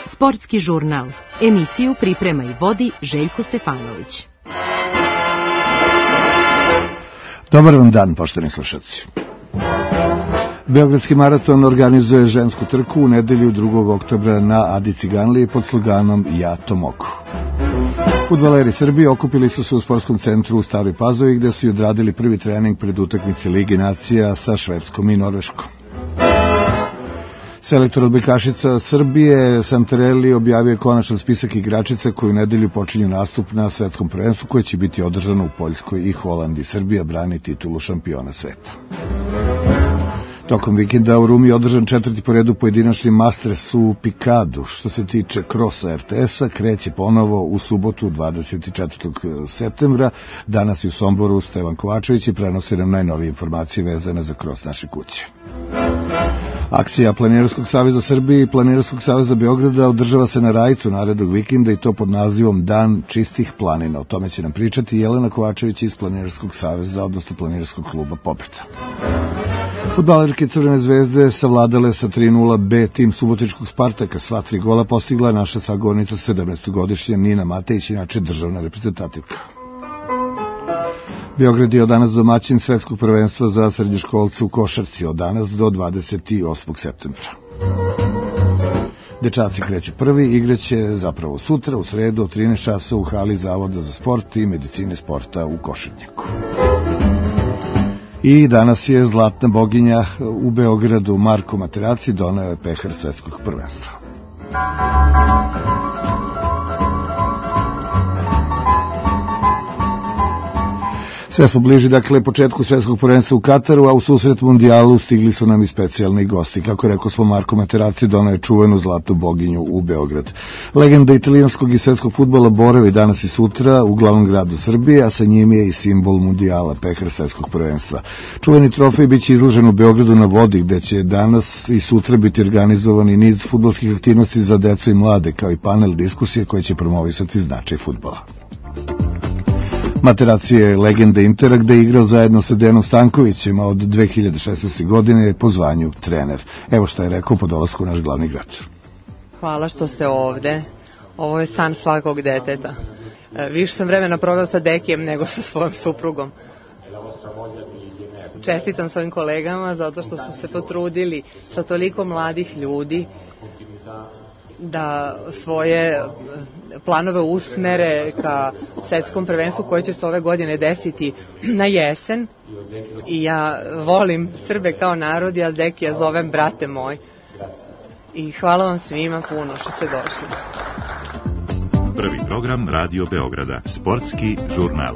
Sportski žurnal. Emisiju priprema i vodi Željko Stefanović. Dobar vam dan, poštovani slušalci. Beogradski maraton organizuje žensku trku u nedelju 2. oktobra na Adi Ciganliji pod sloganom Ja to mogu. Fudbaleri Srbije okupili su se u sportskom centru u Staroj Pazovi gde su i odradili prvi trening pred utakmice Lige nacija sa Švedskom i Norveškom. Selektor odbojkašica Srbije Santarelli objavio konačan spisak igračica koji u nedelju počinju nastup na svetskom prvenstvu koje će biti održano u Poljskoj i Holandiji. Srbija brani titulu šampiona sveta. Tokom vikenda u Rumi je održan 4. po redu pojedinačni Masters u Pikadu. Što se tiče krosa RTS-a, kreće ponovo u subotu 24. septembra. Danas i u Somboru Stevan Kovačević i prenosi nam najnovije informacije vezane za kros naše kuće. Akcija Planinarskog saveza Srbije i Planinarskog saveza Beograda održava se na Rajcu narednog vikenda i to pod nazivom Dan čistih planina. O tome će nam pričati Jelena Kovačević iz Planinarskog saveza, odnosno Planinarskog kluba Popreta. Fudbalerke Crvene zvezde savladale sa 3:0 B tim subotičkog Spartaka. Sva 3 gola postigla naša sagovornica 17-godišnja Nina Matejić, inače državna reprezentativka. Beograd je od danas domaćin svetskog prvenstva za srednjoškolce u košarci od danas do 28. septembra. Dečaci kreću prvi, igraće zapravo sutra u sredu od 13 časa u hali Zavoda za sport i medicine sporta u Košarnjaku. I danas je zlatna boginja u Beogradu Marko Materaci doneo je pehar svetskog prvenstva. Sve smo bliži, dakle, početku svetskog prvenstva u Kataru, a u susret mundijalu stigli su nam i specijalni gosti. Kako rekao smo, Marko Materazzi doneo je čuvenu zlatnu boginju u Beograd. Legenda italijanskog i svetskog fudbala boravi danas i sutra u glavnom gradu Srbije, a sa njim je i simbol mundijala, pehar svetskog prvenstva. Čuveni trofej biće izložen u Beogradu na vodi, gde će danas i sutra biti organizovani niz fudbalskih aktivnosti za decu i mlade, kao i panel diskusije koje će promovisati značaj fudbala. Materazzi je legenda Intera gde je igrao zajedno sa Dejanom Stankovićem, a od 2016. godine je po zvanju trener. Evo šta je rekao po dolasku u naš glavni grad. Hvala što ste ovde. Ovo je san svakog deteta. Više sam vremena proveo sa Dekijem nego sa svojom suprugom. Čestitam svojim kolegama zato što su se potrudili sa toliko mladih ljudi da svoje planove usmere ka svetskom prvenstvu koje će se ove godine desiti na jesen. I ja volim Srbe kao narod, ja Dekija zovem brate moj. I hvala vam svima puno što ste došli. Prvi program Radio Beograda, sportski žurnal.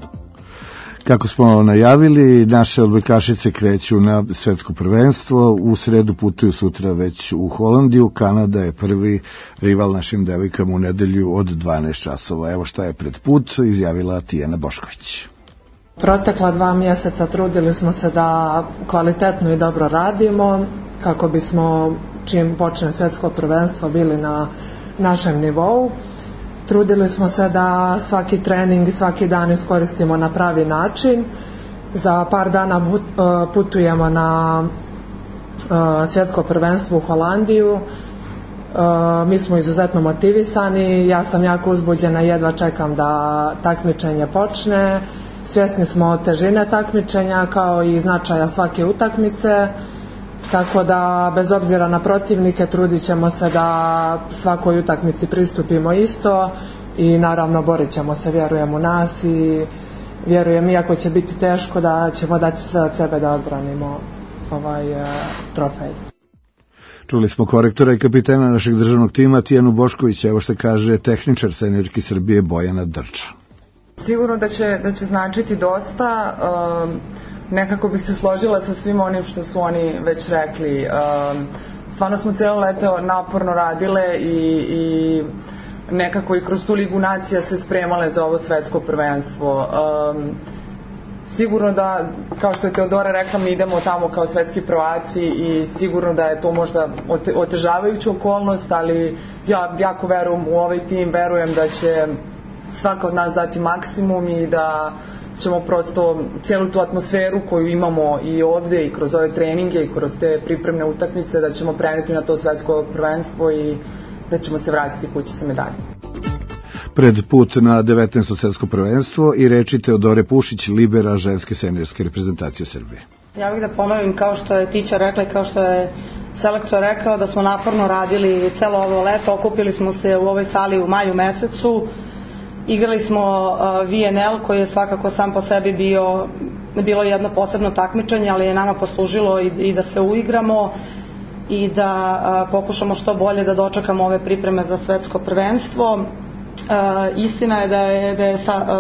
Kako smo najavili, naše odbojkašice kreću na svetsko prvenstvo, u sredu putuju sutra već u Holandiju, Kanada je prvi rival našim devojkama u nedelju od 12 časova. Evo šta je pred put, izjavila Tijana Bošković. Protekla 2 mjeseca trudili smo se da kvalitetno i dobro radimo, kako bismo čim počne svetsko prvenstvo bili na našem nivou. Trudili smo se da svaki trening i svaki dan iskoristimo na pravi način. Za par dana putujemo na svjetsko prvenstvo u Holandiju. Mi smo izuzetno motivisani, ja sam jako uzbuđena, jedva čekam da takmičenje počne. Svjesni smo težine takmičenja kao i značaja svake utakmice. Tako da, bez obzira na protivnike, trudit ćemo se da svakoj utakmici pristupimo isto i naravno borit ćemo se, vjerujem u nas i vjerujem, iako će biti teško, da ćemo dati sve od sebe da odbranimo ovaj trofej. Čuli smo korektora i kapitena našeg državnog tima Tijanu Boškovića, evo što kaže tehničar seniorki Srbije Bojana Drča. Sigurno da će značiti dosta. Nekako bih se složila sa svim onim što su oni već rekli. Stvarno smo cijelo leto naporno radile i nekako i kroz tu Ligu nacija se spremale za ovo svetsko prvenstvo. Sigurno da, kao što je Teodora rekla, mi idemo tamo kao svetski prvaci i sigurno da je to možda otežavajuća okolnost, ali ja jako verujem u ovaj tim, verujem da će svaka od nas dati maksimum i da ćemo prosto cijelu tu atmosferu koju imamo i ovde i kroz ove treninge i kroz te pripremne utakmice da ćemo preneti na to svetsko prvenstvo i da ćemo se vratiti kući sa medaljom. Pred put na 19. svetsko prvenstvo i reči Teodore Pušić, libera ženske seniorske reprezentacije Srbije. Ja bih da ponovim kao što je Tića rekla i kao što je selektor rekao da smo naporno radili celo ovo leto, okupili smo se u ovoj sali u maju mesecu, igrali smo VNL koji je svakako sam po sebi bilo jedno posebno takmičenje, ali je nama poslužilo i da se uigramo i da pokušamo što bolje da dočekamo ove pripreme za svetsko prvenstvo. Istina je da je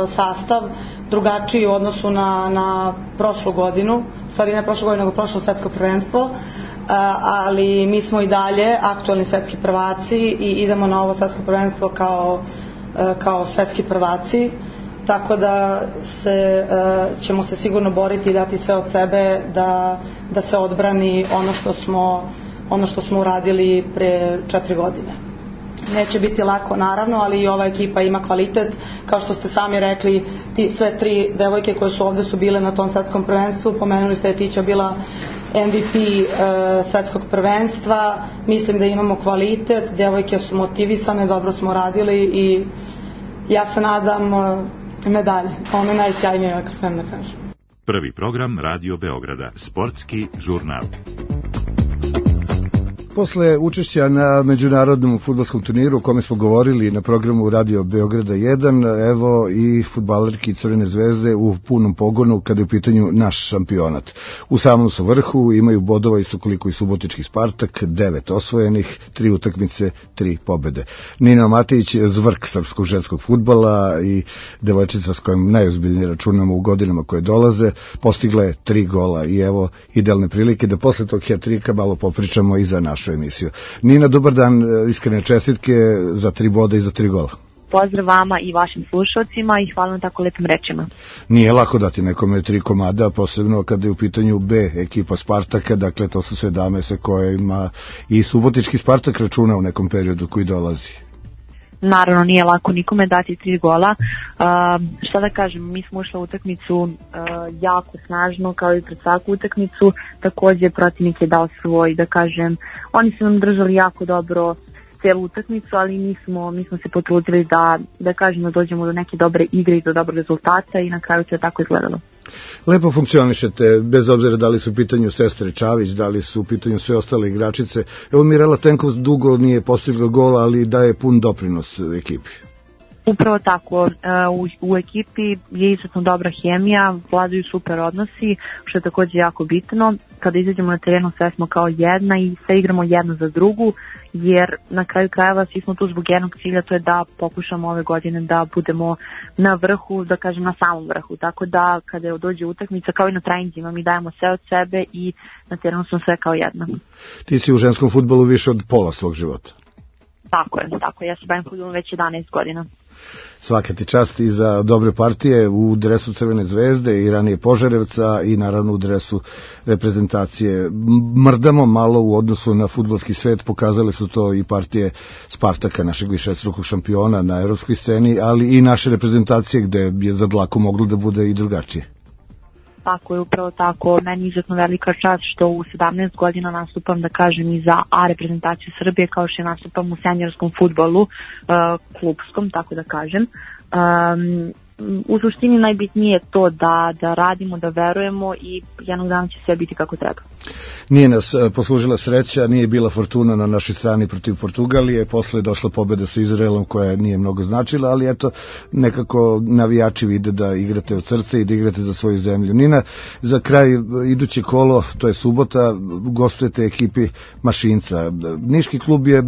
sastav drugačiji u odnosu na prošlu godinu, u stvari ne prošlu godinu, nego prošlo svetsko prvenstvo, ali mi smo i dalje aktualni svetski prvaci i idemo na ovo svetsko prvenstvo kao svetski prvaci, tako da ćemo se sigurno boriti i dati sve od sebe da se odbrani ono što smo uradili pre 4 godine. Neće biti lako naravno, ali i ova ekipa ima kvalitet, kao što ste sami rekli, sve 3 devojke koje su ovde su bile na tom svetskom prvenstvu, pomenuli ste je Tića bila MVP svetskog prvenstva, mislim da imamo kvalitet, devojke su motivisane, dobro smo radili i ja se nadam medalje, ono je najsjajnije ako smem da kažem. Prvi program Radio Beograda, sportski žurnal. Posle učešća na međunarodnom fudbalskom turniru o kome smo govorili na programu Radio Beograda 1, evo i fudbalerki Crvene zvezde u punom pogonu kada je u pitanju naš šampionat. U samom su vrhu, imaju bodova isto koliko i subotički Spartak, 9 osvojenih, 3 utakmice, 3 pobede. Nina Matić, zvrk srpskog ženskog fudbala i devojčica s kojom najozbiljnije računamo u godinama koje dolaze, postigla je 3 gola i evo idealne prilike da posle tog hat-trika malo popričamo i za našu emisiju. Nina, dobar dan, iskrene čestitke za 3 boda i za 3 gola. Pozdrav vama i vašim slušalcima i hvala na tako lepim rečima. Nije lako dati nekome 3 komada, posebno kada je u pitanju B ekipa Spartaka, dakle to su sve dame sa kojima i subotički Spartak računa u nekom periodu koji dolazi. Naravno, nije lako nikome dati 3 gola. Šta da kažem, mi smo ušli u utakmicu jako snažno, kao i pred svaku utakmicu. Takođe, protivnik je dao svoj, da kažem, oni su nam držali jako dobro celu utakmicu, ali mi smo se potrudili da kažem da dođemo do neke dobre igre i do dobrog rezultata i na kraju se tako izgledalo. Lepo funkcionišete, bez obzira da li su u pitanju sestre Čavić, da li su u pitanju sve ostale igračice. Evo Mirela Tenkov dugo nije postigla gol, ali daje pun doprinos ekipi. Upravo tako, u ekipi je izuzetno dobra hemija, vladaju super odnosi, što je takođe jako bitno. Kada izađemo na terenu sve smo kao jedna i sve igramo jedno za drugu, jer na kraju krajeva svi smo tu zbog jednog cilja, to je da pokušamo ove godine da budemo na vrhu, da kažem na samom vrhu. Tako da kada dođe utakmica, kao i na treninzima, mi dajemo sve od sebe i na terenu smo sve kao jedna. Ti si u ženskom fudbalu više od pola svog života. Tako je, ja se bavim fudbalom već 11 godina. Svaka ti čast i za dobre partije u dresu Crvene zvezde i ranije Požarevca i naravno u dresu reprezentacije. Mrdamo malo u odnosu na fudbalski svet, pokazali su to i partije Spartaka, našeg višestrukog šampiona na evropskoj sceni, ali i naše reprezentacije gde je za dlaku moglo da bude i drugačije. Tako je, upravo tako. Meni je izuzetno velika čast što u 17 godina nastupam, da kažem, i za A reprezentaciju Srbije, kao što nastupam u seniorskom fudbalu, klubskom, tako da kažem. U suštini najbitnije je to da radimo, da verujemo i jednog dana će sve biti kako treba. Nije nas poslužila sreća, nije bila fortuna na našoj strani protiv Portugalije, posle je došla pobeda sa Izraelom koja nije mnogo značila, ali eto, nekako navijači vide da igrate od srca i da igrate za svoju zemlju. Nina, za kraj iduće kolo, to je subota, gostujete ekipi Mašinca. Niški klub je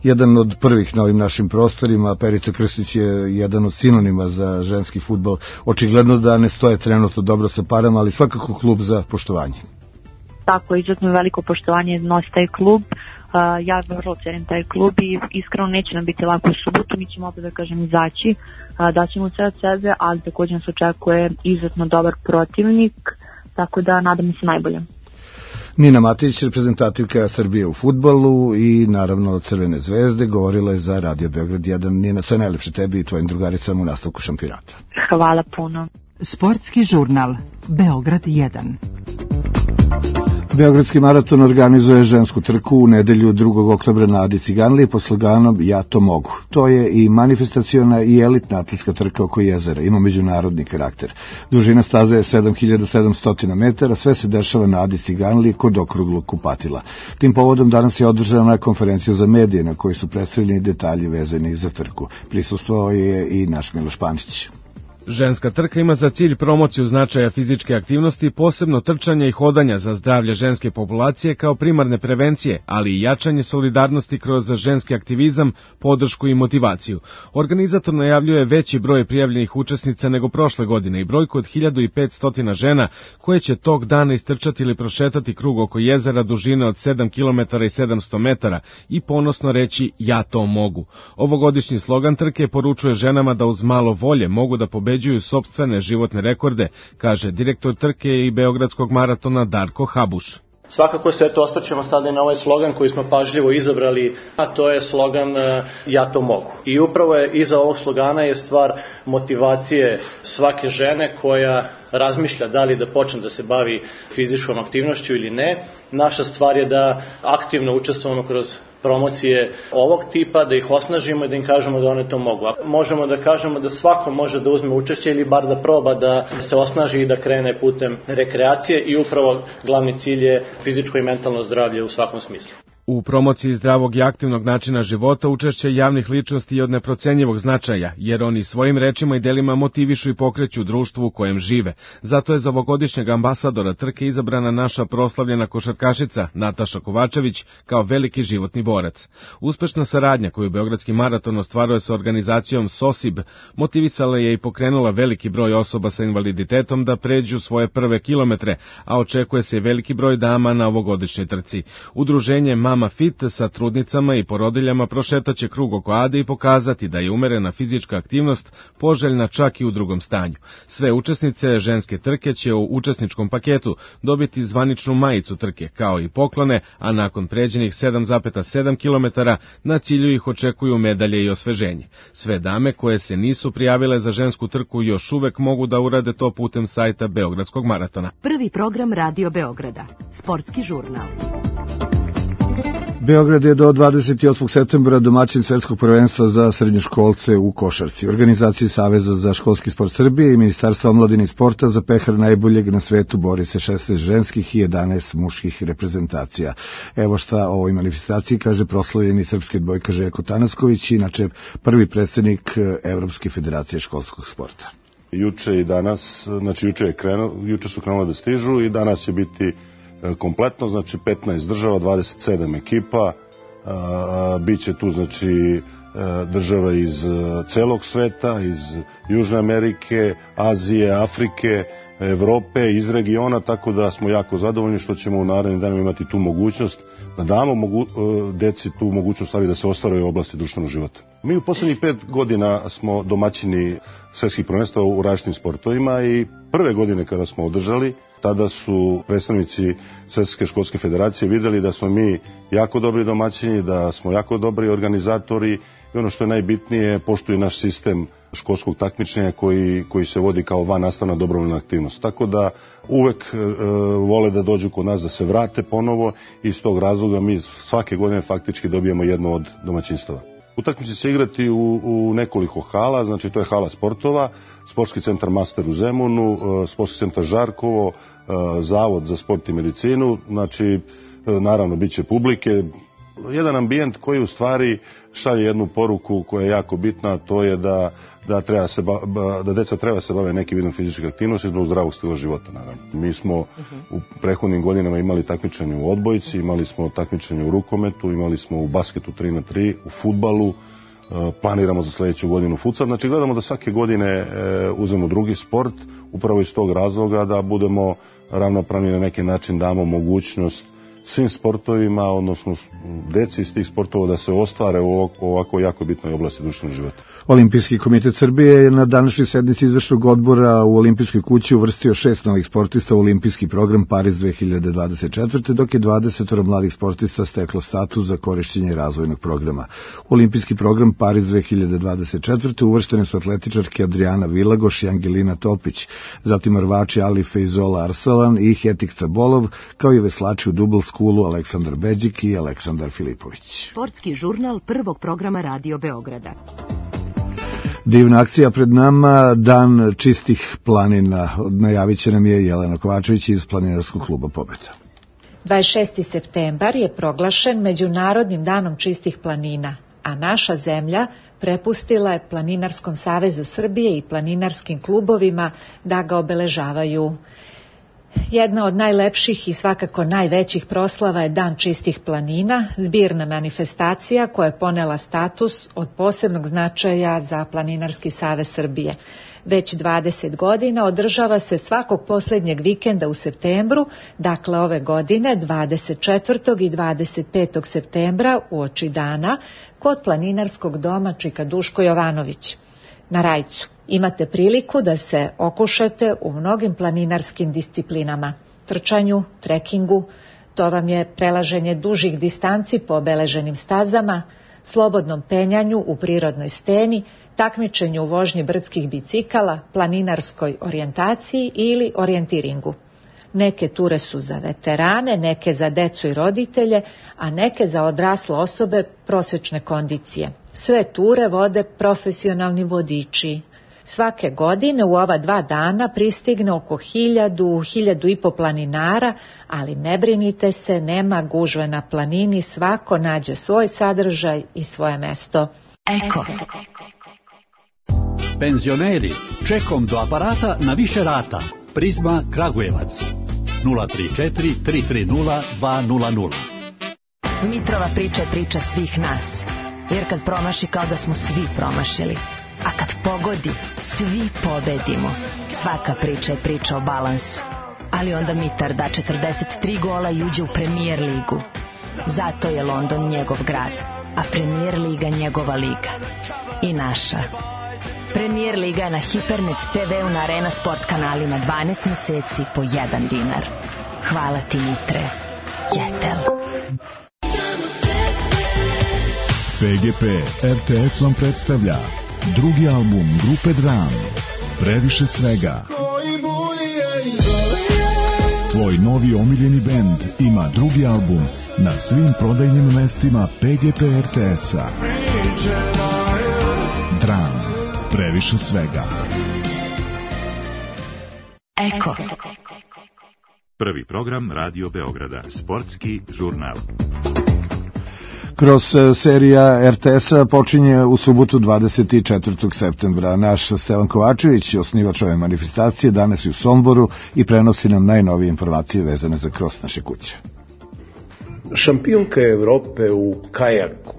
jedan od prvih na ovim našim prostorima, Perica Krstić je jedan od sinonima za ženski fudbal. Očigledno da ne stoje trenutno dobro sa parama, ali svakako klub za poštovanje. Tako, izuzetno veliko poštovanje nosi taj klub. Ja vrlo cenim taj klub i iskreno neće nam biti lako u subotu, mi ćemo opet, da kažem, izaći, daćemo sve od sebe, ali također nas očekuje izuzetno dobar protivnik, tako da nadam se najbolje. Nina Matić, reprezentativka Srbije u fudbalu i naravno Crvene zvezde, govorila je za Radio Beograd 1. Nina, sve najlepše tebi i tvojim drugaricama u nastavku šampionata. Hvala puno. Sportski žurnal Beograd 1. Beogradski maraton organizuje žensku trku u nedelju 2. oktobra na Adi Ciganliji pod sloganom Ja to mogu. To je i manifestaciona i elitna atletska trka oko jezera, ima međunarodni karakter. Dužina staze je 7700 metara, sve se dešava na Adi Ciganliji kod okruglog kupatila. Tim povodom danas je održana konferencija za medije na kojoj su predstavljeni detalji vezani za trku. Prisustvovao je i naš Miloš Panić. Ženska trka ima za cilj promociju značaja fizičke aktivnosti, posebno trčanja i hodanja za zdravlje ženske populacije kao primarne prevencije, ali i jačanje solidarnosti kroz ženski aktivizam, podršku i motivaciju. Organizator najavljuje veći broj prijavljenih učesnica nego prošle godine i brojku od 1500 žena koje će tog dana istrčati ili prošetati krug oko jezera dužine od 7 km i 700 metara i ponosno reći Ja to mogu. Ovogodišnji slogan trke poručuje ženama da uz malo volje mogu da pobeđuju sopstvene životne rekorde, kaže direktor trke i Beogradskog maratona Darko Habuš. Svakako se osvrćemo sada i na ovaj slogan koji smo pažljivo izabrali, a to je slogan Ja to mogu. I upravo je iza ovog slogana je stvar motivacije svake žene koja razmišlja da li da počne da se bavi fizičkom aktivnošću ili ne. Naša stvar je da aktivno učestvujemo kroz promocije ovog tipa, da ih osnažimo i da im kažemo da one to mogu. Možemo da kažemo da svako može da uzme učešće ili bar da proba da se osnaži i da krene putem rekreacije i upravo glavni cilj je fizičko i mentalno zdravlje u svakom smislu. U promociji zdravog i aktivnog načina života učešće javnih ličnosti je od neprocenjivog značaja, jer oni svojim rečima i delima motivišu i pokreću društvo u kojem žive. Zato je za ovogodišnjeg ambasadora trke izabrana naša proslavljena košarkašica Nataša Kovačević kao veliki životni borac. Uspešna saradnja koju Beogradski maraton ostvaruje sa organizacijom SOSIB motivisala je i pokrenula veliki broj osoba sa invaliditetom da pređu svoje prve kilometre, a očekuje se i veliki broj dama na ovogodišnjoj trci. Udruženje Mama Fit sa trudnicama i porodiljama prošetaće krug oko Ade i pokazati da je umerena fizička aktivnost poželjna čak i u drugom stanju. Sve učesnice ženske trke će u učesničkom paketu dobiti zvaničnu majicu trke, kao i poklone, a nakon pređenih 7,7 km na cilju ih očekuju medalje i osveženje. Sve dame koje se nisu prijavile za žensku trku još uvek mogu da urade to putem sajta Beogradskog maratona. Prvi program Radio Beograda. Sportski žurnal. Beograd je do 28. septembra domaćin svetskog prvenstva za srednjoškolce u košarci. Organizaciji Saveza za školski sport Srbije i Ministarstva omladine i sporta za pehar najboljeg na svetu bori se 16 ženskih i 11 muških reprezentacija. Evo šta o ovoj manifestaciji kaže proslavljeni srpski odbojka Željko Tanasković, inače prvi predsjednik Evropske federacije školskog sporta. Juče i danas, znači juče su krenule da stižu i danas će biti kompletno, znači 15 država, 27 ekipa, bit će tu znači država iz celog sveta, iz Južne Amerike, Azije, Afrike, Evrope, iz regiona, tako da smo jako zadovoljni što ćemo u narednim danima imati tu mogućnost da damo deci tu mogućnost da se ostvaraju u oblasti društvenog života. Mi u poslednjih 5 godina smo domaćini svetskih prvenstva u različitim sportovima i prve godine kada smo održali, tada su predstavnici Svetske školske federacije videli da smo mi jako dobri domaćini, da smo jako dobri organizatori i ono što je najbitnije, poštuju naš sistem školskog takmičenja koji se vodi kao vannastavna dobrovoljna aktivnost. Tako da uvek vole da dođu kod nas da se vrate ponovo i iz tog razloga mi svake godine faktički dobijemo jedno od domaćinstava. Utakmice će se igrati u nekoliko hala, znači to je hala sportova, Sportski centar Master u Zemunu, Sportski centar Žarkovo, Zavod za sport i medicinu, znači naravno bit će publike, jedan ambijent koji u stvari šalje jednu poruku koja je jako bitna, a to je da deca treba se bave nekim vidom fizičke aktivnosti zbog zdravog stila života, naravno. Mi smo u prethodnim godinama imali takmičenje u odbojci, imali smo takmičenje u rukometu, imali smo u basketu 3x3, u fudbalu, planiramo za sledeću godinu futsal, znači gledamo da svake godine uzmemo drugi sport, upravo iz tog razloga da budemo ravnopravni, na neki način damo mogućnost svim sportovima, odnosno deci iz tih sportova da se ostvare u ovako jako bitnoj oblasti društvenog života. Olimpijski komitet Srbije je na današnjoj sednici izvršnog odbora u Olimpijskoj kući uvrstio 6 novih sportista u olimpijski program Pariz 2024. dok je 20 mladih sportista steklo status za korišćenje razvojnog programa. U olimpijski program Pariz 2024. uvrštene su atletičarke Adriana Vilagoš i Angelina Topić, zatim rvači Ali Fejzola Arsalan i Hetik Cabolov, kao i veslači u Double Schoolu Aleksandar Beđik i Aleksandar Filipović. Sportski žurnal prvog programa Radio Beograda. Divna akcija pred nama, dan čistih planina. Najavit će nam je Jelena Kovačević iz Planinarskog kluba Pobeda. 26. septembar je proglašen Međunarodnim danom čistih planina, a naša zemlja prepustila je Planinarskom savezu Srbije i planinarskim klubovima da ga obeležavaju. Jedna od najlepših i svakako najvećih proslava je Dan čistih planina, zbirna manifestacija koja je ponela status od posebnog značaja za Planinarski savez Srbije. Već 20 godina održava se svakog posljednjeg vikenda u septembru, dakle ove godine 24. i 25. septembra uoči dana kod Planinarskog doma Čika Duško Jovanović na Rajcu. Imate priliku da se okušate u mnogim planinarskim disciplinama, trčanju, trekingu, to vam je prelaženje dužih distanci po obeleženim stazama, slobodnom penjanju u prirodnoj steni, takmičenju u vožnji brdskih bicikala, planinarskoj orijentaciji ili orijentiringu. Neke ture su za veterane, neke za decu i roditelje, a neke za odrasle osobe prosječne kondicije. Sve ture vode profesionalni vodiči. Svake godine u ova 2 dana pristigne oko 1000-1500 planinara, ali ne brinite se, nema gužve na planini, svako nađe svoj sadržaj i svoje mesto. Eko. Penzioneri, čekom do aparata na više rata. Prizma Kragujevac 034 330 200. Mitrova priča je priča svih nas, jer kad promaši kao da smo svi promašili, a kad pogodi svi pobedimo. Svaka priča je priča o balansu, ali onda Mitar da 43 gola i uđe u Premier ligu. Zato je London njegov grad, a Premier liga njegova liga. I naša Premier liga je na Hipernet TV-u na Arena Sport kanalima 12 meseci po 1 dinar. Hvala ti, Mitre. Jetel. PGP RTS vam predstavlja drugi album grupe Dram, Previše svega. Tvoj novi omiljeni bend ima drugi album na svim prodajnim mestima PGP RTS-a. Dram, Previše svega. Eko. Prvi program Radio Beograda, sportski žurnal. Kroz serija RTS-a počinje u subotu 24. septembra. Naš Stevan Kovačević, osnivač ove manifestacije, danas je u Somboru i prenosi nam najnovije informacije vezane za kros naše kuće. Šampionka Evrope u kajaku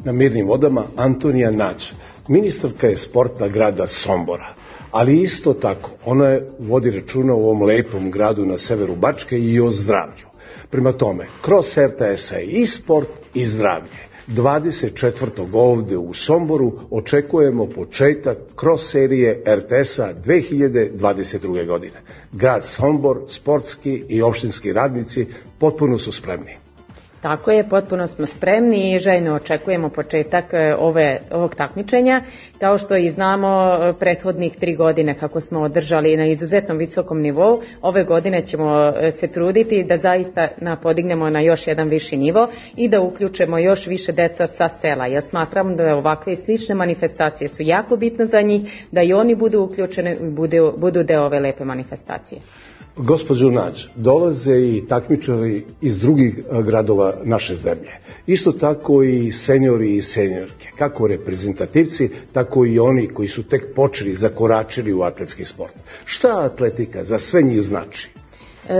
na mirnim vodama Antonija Nađ, ministarka je sporta grada Sombora, ali isto tako ona vodi računa u ovom lepom gradu na severu Bačke i o zdravlju. Prema tome, kroz RTS-a je i sport i zdravlje. 24. ovde u Somboru očekujemo početak kroz serije RTS-a 2022. godine. Grad Sombor, sportski i opštinski radnici potpuno su spremni. Tako je, potpuno smo spremni i željno očekujemo početak ovog takmičenja. Kao što i znamo, prethodnih 3 godine kako smo održali na izuzetnom visokom nivou, ove godine ćemo se truditi da zaista podignemo na još jedan viši nivo i da uključimo još više deca sa sela. Ja smatram da ovakve i slične manifestacije su jako bitne za njih, da i oni budu uključeni i budu deo ove lepe manifestacije. Gospođo Nađ, dolaze i takmičari iz drugih gradova naše zemlje. Isto tako i seniori i seniorke, kako reprezentativci, tako i oni koji su tek počeli, zakoračili u atletski sport. Šta atletika za sve njih znači?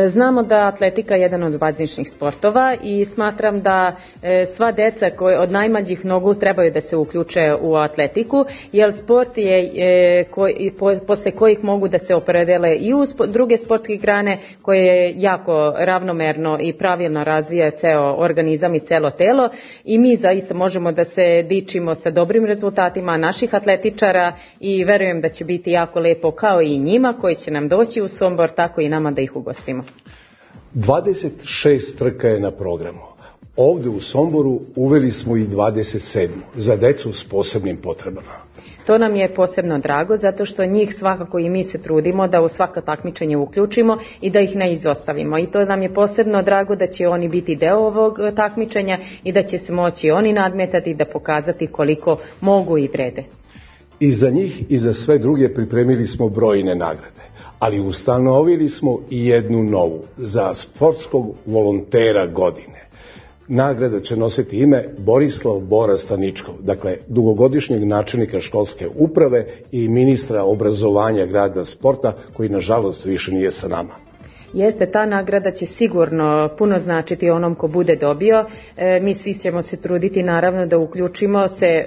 Znamo da atletika je jedan od bazičnih sportova i smatram da sva deca od najmlađih nogu trebaju da se uključe u atletiku, jer sport je posle kojih mogu da se opredele i u druge sportske grane koje jako ravnomerno i pravilno razvija ceo organizam i celo telo, i mi zaista možemo da se dičimo sa dobrim rezultatima naših atletičara i verujem da će biti jako lepo kao i njima koji će nam doći u Sombor, tako i nama da ih ugostimo. 26 trka je na programu. Ovde u Somboru uveli smo i 27 za decu s posebnim potrebama. To nam je posebno drago zato što njih svakako i mi se trudimo da u svako takmičenje uključimo i da ih ne izostavimo. I to nam je posebno drago da će oni biti deo ovog takmičenja i da će se moći oni nadmetati da pokazati koliko mogu i vrede. I za njih i za sve druge pripremili smo brojne nagrade, ali ustanovili smo i jednu novu za sportskog volontera godine. Nagrada će nositi ime Borislav Bora Staničkov, dakle dugogodišnjeg načelnika školske uprave i ministra obrazovanja grada sporta, koji nažalost više nije sa nama. Jeste, ta nagrada će sigurno puno značiti onom ko bude dobio. Mi svi ćemo se truditi naravno da uključimo se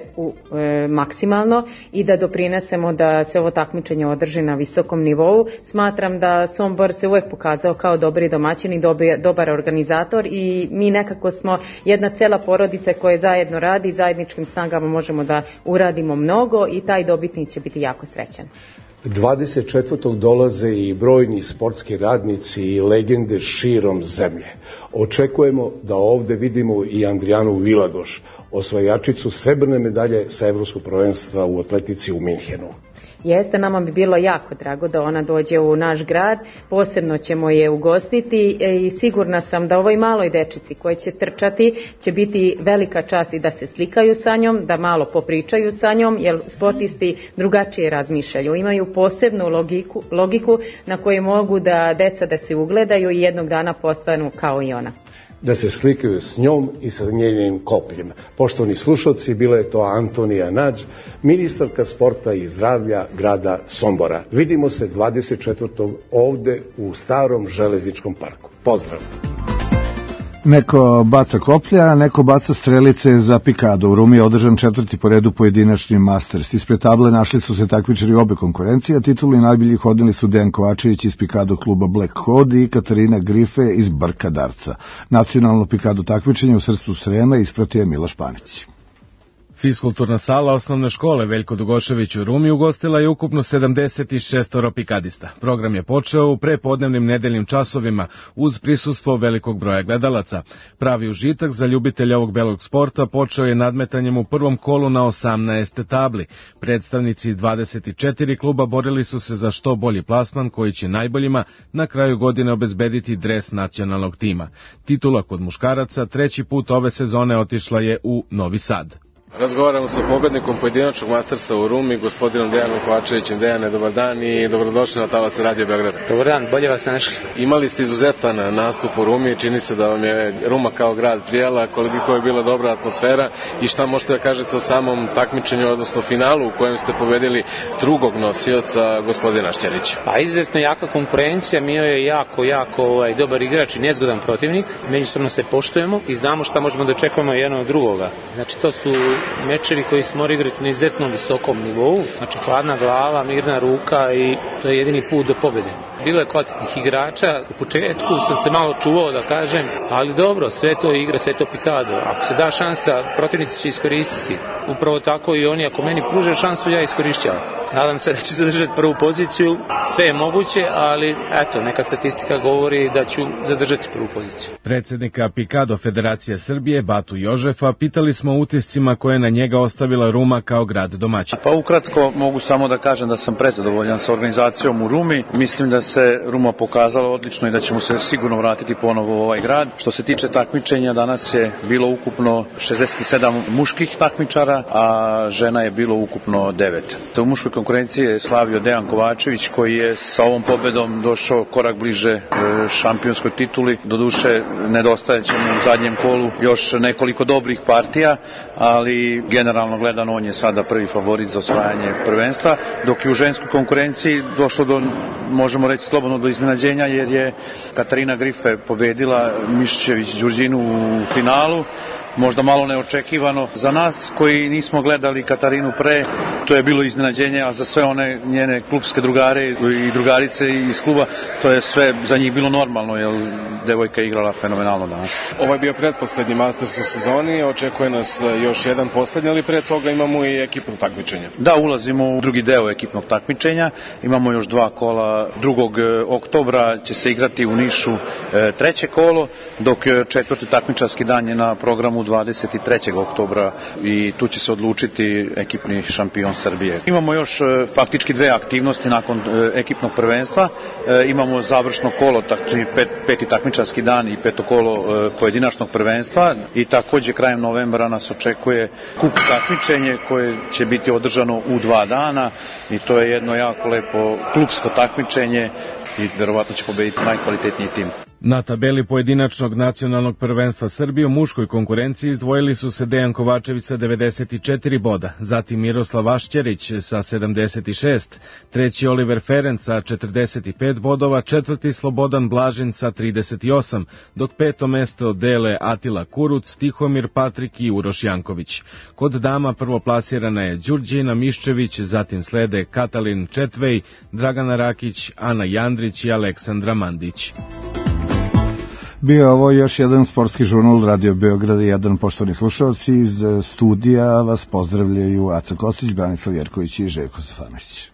maksimalno i da doprinesemo da se ovo takmičenje održi na visokom nivou. Smatram da Sombor se uvek pokazao kao dobri domaćin i dobar organizator i mi nekako smo jedna cela porodica koja zajedno radi, zajedničkim snagama možemo da uradimo mnogo i taj dobitnik će biti jako srećan. 24. dolaze i brojni sportski radnici i legende širom zemlje. Očekujemo da ovde vidimo i Andrijanu Vilagoš, osvajačicu srebrne medalje sa Evropskog prvenstva u atletici u Minhenu. Jeste, nama bi bilo jako drago da ona dođe u naš grad, posebno ćemo je ugostiti i sigurna sam da ovoj maloj dečici koje će trčati će biti velika čast i da se slikaju sa njom, da malo popričaju sa njom, jer sportisti drugačije razmišljaju, imaju posebnu logiku na koju mogu da deca da se ugledaju i jednog dana postanu kao i ona. Da se slikaju s njom i sa njenim kopljem. Poštovani slušalci, bila je to Antonija Nađ, ministarka sporta i zdravlja grada Sombora. Vidimo se 24. ovde u starom železničkom parku. Pozdrav! Neko baca koplja, neko baca strelice za pikado. U Rumi je održan 4. po redu pojedinačni Masters. Ispred table našli su se takmičari obe konkurencije, a titulu najboljih odneli su Dejan Kovačević iz pikado kluba Black Hod i Katarina Grife iz Brka Darca. Nacionalno pikado takmičenje u srcu Srema ispratio je Miloš Panić. Fiskulturna sala osnovne škole Veljko Dugošević u Rumi ugostila je ukupno 76 pikadista. Program je počeo u prepodnevnim nedeljnim časovima uz prisustvo velikog broja gledalaca. Pravi užitak za ljubitelja ovog belog sporta počeo je nadmetanjem u prvom kolu na 18 tabli. Predstavnici 24 kluba borili su se za što bolji plasman koji će najboljima na kraju godine obezbediti dres nacionalnog tima. Titula kod muškaraca 3. put ove sezone otišla je u Novi Sad. Razgovaramo sa pobednikom pojedinačnog Mastersa u Rumi, gospodinom Dejanom Kovačevićem. Dejane, dobar dan i dobrodošli na Talas Radio Beograd. Dobar dan, bolje vas našli. Imali ste izuzetan nastup u Rumi, čini se da vam je Ruma kao grad prijela, koliko je bila dobra atmosfera i šta možete da kažete o samom takmičenju, odnosno finalu u kojem ste pobedili drugog nosioca, gospodina Šćerića. Pa izuzetno jaka konkurencija, Mio je jako dobar igrač i nezgodan protivnik, međusobno se poštujemo i znamo šta možemo da očekujemo jedno od drugoga. Znači to su mečevi koji se moraju igrati na izuzetno visokom nivou, znači hladna glava, mirna ruka i to je jedini put do pobede. Bilo je kvalitetnih igrača, u početku sam se malo čuvao da kažem, ali dobro, sve to igra, sve to pikado. Ako se da šansa, protivnici će iskoristiti. Upravo tako i oni, ako meni pruže šansu, ja iskorišćavam. Nadam se da ću zadržati prvu poziciju, sve je moguće, ali eto, neka statistika govori da ću zadržati prvu poziciju. Predsjednika Pikado Federacije Srbije, Batu Jožefa, pitali smo o utiscima koje je na njega ostavila Ruma kao grad domaćin. Pa ukratko mogu samo da kažem da sam prezadovoljan sa organizacijom u Rumi. Mislim da se Ruma pokazala odlično i da ćemo se sigurno vratiti ponovo u ovaj grad. Što se tiče takmičenja, danas je bilo ukupno 67 muških takmičara, a žena je bilo ukupno 9. U muškoj konkurencije je slavio Dejan Kovačević, koji je sa ovom pobedom došao korak bliže šampionskoj tituli. Doduše, nedostajeće mu u zadnjem kolu još nekoliko dobrih partija, ali generalno gledano on je sada prvi favorit za osvajanje prvenstva, dok je u ženskoj konkurenciji došlo do, možemo reći slobodno, do iznenađenja, jer je Katarina Grife pobedila Miščević-Đurđinu u finalu. Možda malo neočekivano za nas koji nismo gledali Katarinu pre, to je bilo iznenađenje, a za sve one njene klubske drugare i drugarice iz kluba, to je sve za njih bilo normalno, jer devojka je igrala fenomenalno danas. Ovo je bio pretposlednji Masters u sezoni, očekuje nas još jedan poslednji, ali pre toga imamo i ekipno takmičenje. Da, ulazimo u drugi deo ekipnog takmičenja, imamo još 2 kola. 2. oktobra će se igrati u Nišu 3. kolo, dok 4. takmičarski dan je na programu 23. oktobra i tu će se odlučiti ekipni šampion Srbije. Imamo još faktički 2 aktivnosti nakon ekipnog prvenstva. Imamo završno kolo, znači 5. takmičarski dan i 5. kolo pojedinačnog prvenstva i takođe krajem novembra nas očekuje kup takmičenje koje će biti održano u 2 dana i to je jedno jako lepo klubsko takmičenje i verovatno će pobediti najkvalitetniji tim. Na tabeli pojedinačnog nacionalnog prvenstva Srbije u muškoj konkurenciji izdvojili su se Dejan Kovačević sa 94 boda, zatim Miroslav Ašćerić sa 76, treći Oliver Ferenc sa 45 bodova, četvrti Slobodan Blažin sa 38, dok 5. mesto dele Atila Kuruc, Tihomir Patrik i Uroš Janković. Kod dama prvoplasirana je Đurđina Miščević, zatim slede Katalin Četvej, Dragana Rakić, Ana Jandrić i Aleksandra Mandić. Bio je ovo još jedan sportski žurnal Radio Beograda i jedan. Poštovani slušalci, iz studija vas pozdravljaju Aca Kosić, Branislav Jerković i Željko Stefanović.